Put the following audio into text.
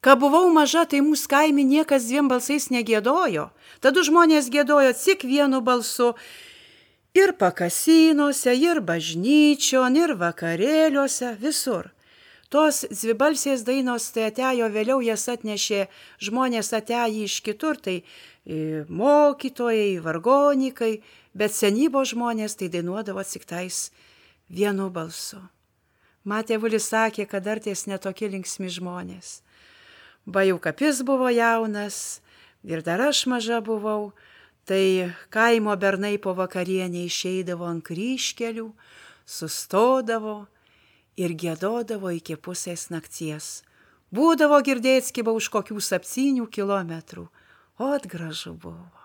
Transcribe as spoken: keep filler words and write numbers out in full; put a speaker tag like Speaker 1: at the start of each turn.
Speaker 1: Kai buvau maža, tai mūsų kaime niekas dviem balsais negėdojo. Tada žmonės gėdojo tik vienu balsu. Ir pakasinuose, ir bažnyčion, ir vakarėliuose, visur. Tos dvibalsės dainos tai atėjo vėliau, jas atnešė žmonės atėjo iš kitur, tai mokytojai, vargonikai, bet senybo žmonės tai dainuodavo tik tais vienu balsu. Matėvulis sakė, kad dar ties netokie linksmi žmonės. Bajukapis buvo jaunas ir dar aš maža buvau, tai kaimo bernai po vakarienę išeidavo ant kryžkelių, sustodavo ir giedodavo iki pusės nakties. Būdavo girdėt skiba už kokių septynių kilometrų, o atgražu buvo.